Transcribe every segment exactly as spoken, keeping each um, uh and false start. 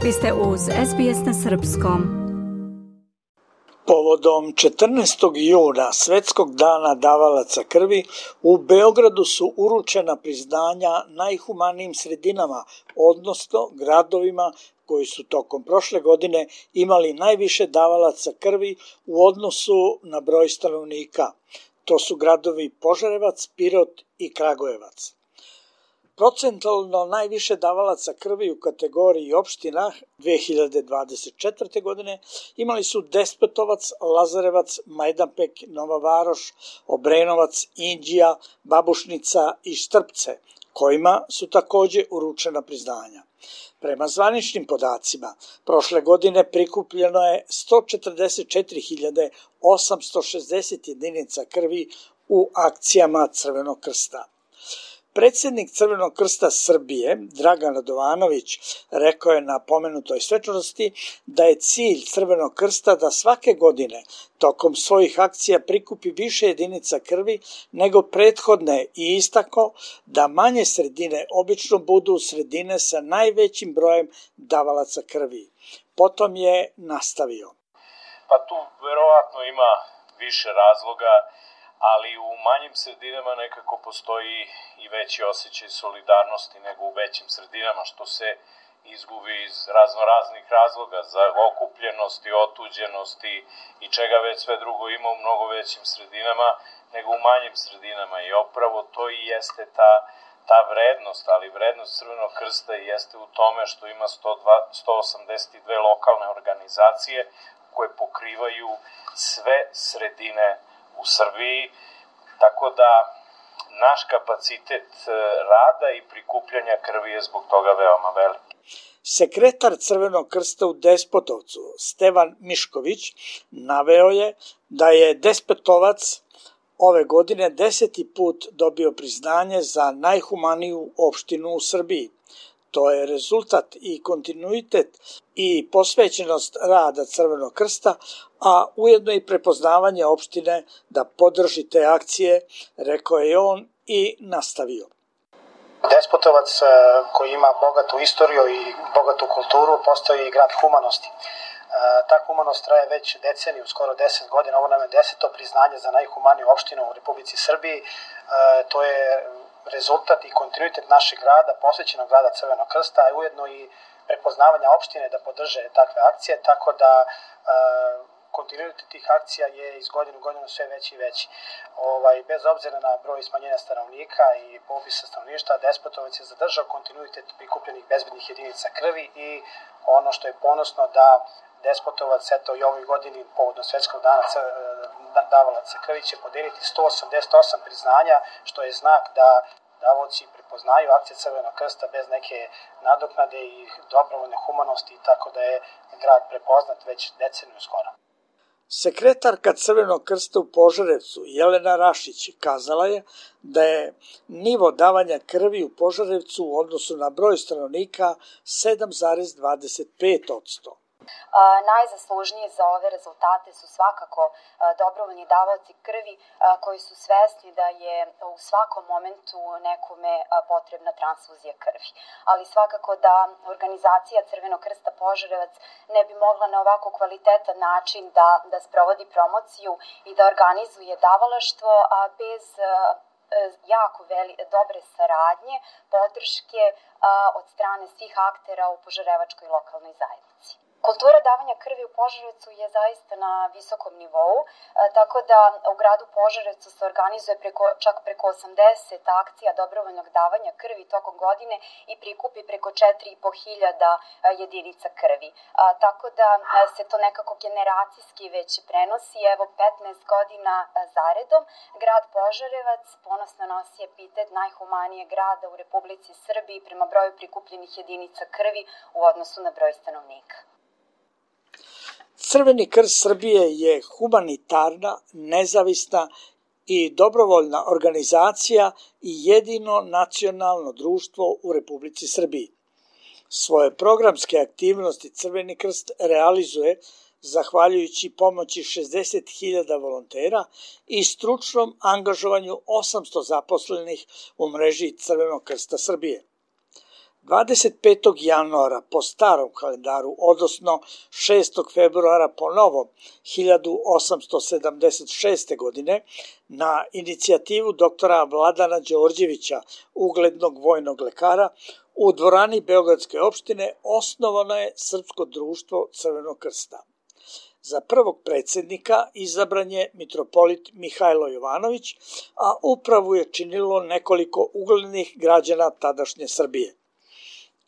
Vi ste uz S B S na srpskom. Povodom četrnaestog juna, Svetskog dana davalaca krvi, u Beogradu su uručena priznanja najhumanijim sredinama, odnosno gradovima koji su tokom prošle godine imali najviše davalaca krvi u odnosu na broj stanovnika. To su gradovi Požarevac, Pirot i Kragujevac. Procentualno najviše davalaca krvi u kategoriji opština dve hiljade dvadeset četvrte. godine imali su Despotovac, Lazarevac, Majdanpek, Nova Varoš, Obrenovac, Inđija, Babušnica i Štrpce, kojima su takođe uručena priznanja. Prema zvaničnim podacima, prošle godine prikupljeno je sto četrdeset četiri hiljade osamsto šezdeset jedinica krvi u akcijama Crvenog krsta. Predsednik Crvenog krsta Srbije, Dragan Radovanović, rekao je na pomenutoj svečanosti da je cilj Crvenog krsta da svake godine tokom svojih akcija prikupi više jedinica krvi nego prethodne i istakao da manje sredine obično budu sredine sa najvećim brojem davalaca krvi. Potom je nastavio. Pa tu verovatno ima više razloga, ali u manjim sredinama nekako postoji i veći osjećaj solidarnosti nego u većim sredinama, što se izgubi iz raznoraznih razloga za okupljenosti, otuđenosti i čega već sve drugo ima u mnogo većim sredinama nego u manjim sredinama. I upravo to i jeste ta, ta vrednost, ali vrednost Crvenog krsta jeste u tome što ima sto osamdeset dve lokalne organizacije koje pokrivaju sve sredine u Srbiji, tako da naš kapacitet rada i prikupljanja krvi je zbog toga veoma veliki. Sekretar Crvenog krsta u Despotovcu, Stevan Mišković, naveo je da je Despotovac ove godine deseti put dobio priznanje za najhumaniju opštinu u Srbiji. To je rezultat i kontinuitet i posvećenost rada Crvenog krsta, a ujedno i prepoznavanje opštine da podrži te akcije, rekao je on i nastavio. Despotovac, koji ima bogatu istoriju i bogatu kulturu, postoji i grad humanosti. Ta humanost traje već deceniju, skoro deset godina. Ovo nam je deseto priznanje za najhumaniju opštinu u Republici Srbiji. To je rezultat i kontinuitet našeg rada, posvećenog rada Crvenog krsta, a ujedno i prepoznavanja opštine da podrže takve akcije, tako da kontinuitet tih akcija je iz godine u godinu sve veći i veći. Ovaj, bez obzira na broj smanjenja stanovnika i popisa stanovništva, Despotovac je zadržao kontinuitet prikupljenih bezbednih jedinica krvi i ono što je ponosno da Despotovac, eto i ovoj godini, povodom Svetskog dana davalaca krvi, će podeliti sto osamdeset osam priznanja, što je znak da davaoci prepoznaju akcije Crvenog krsta bez neke nadoknade i dobrovoljne humanosti, tako da je grad prepoznat već deceniju skoro. Sekretarka Crvenog krsta u Požarevcu, Jelena Rašić, kazala je da je nivo davanja krvi u Požarevcu u odnosu na broj stanovnika sedam zarez dvadeset pet posto. Najzaslužniji za ove rezultate su svakako dobrovoljni davaoci krvi koji su svesni da je u svakom momentu nekome potrebna transfuzija krvi. Ali svakako da organizacija Crvenog krsta Požarevac ne bi mogla na ovako kvalitetan način da, da sprovodi promociju i da organizuje davalaštvo, a bez jako veli, dobre saradnje, podrške a, od strane svih aktera u požarevačkoj lokalnoj zajednici. Kultura davanja krvi u Požarevcu je zaista na visokom nivou, tako da u gradu Požarevcu se organizuje preko, čak preko osamdeset akcija dobrovoljnog davanja krvi tokom godine i prikupi preko četiri i po hiljada jedinica krvi. Tako da se to nekako generacijski već prenosi. Evo petnaest godina zaredom grad Požarevac ponosno nosi epitet najhumanijeg grada u Republici Srbiji prema broju prikupljenih jedinica krvi u odnosu na broj stanovnika. Crveni krst Srbije je humanitarna, nezavisna i dobrovoljna organizacija i jedino nacionalno društvo u Republici Srbiji. Svoje programske aktivnosti Crveni krst realizuje zahvaljujući pomoći šezdeset hiljada volontera i stručnom angažovanju osamsto zaposlenih u mreži Crvenog krsta Srbije. dvadeset petog januara po starom kalendaru, odnosno šestog februara po novom hiljadu osamsto sedamdeset šeste. godine, na inicijativu doktora Vladana Đorđevića, uglednog vojnog lekara, u dvorani Beogradske opštine osnovano je Srpsko društvo Crvenog krsta. Za prvog predsjednika izabran je mitropolit Mihajlo Jovanović, a upravu je činilo nekoliko uglednih građana tadašnje Srbije.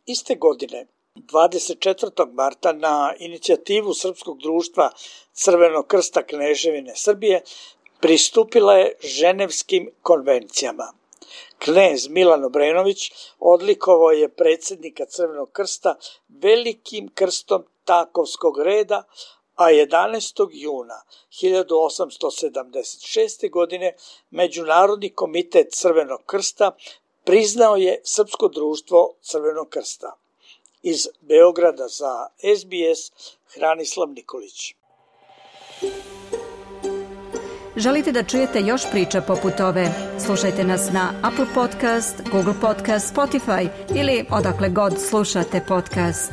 Iste godine, dvadeset četvrtog marta, na inicijativu Srpskog društva Crvenog krsta Kneževine Srbije pristupila je Ženevskim konvencijama. Knez Milan Obrenović odlikovao je predsjednika Crvenog krsta velikim krstom Takovskog reda, a jedanaestog juna hiljadu osamsto sedamdeset šeste. godine Međunarodni komitet Crvenog krsta priznao je Srpsko društvo Crvenog krsta. Iz Beograda za S B S, Hranislav Nikolić. Želite da čujete još priča poput ove? Slušajte nas na Apple Podcast, Google Podcast, Spotify ili odakle god slušate podcast.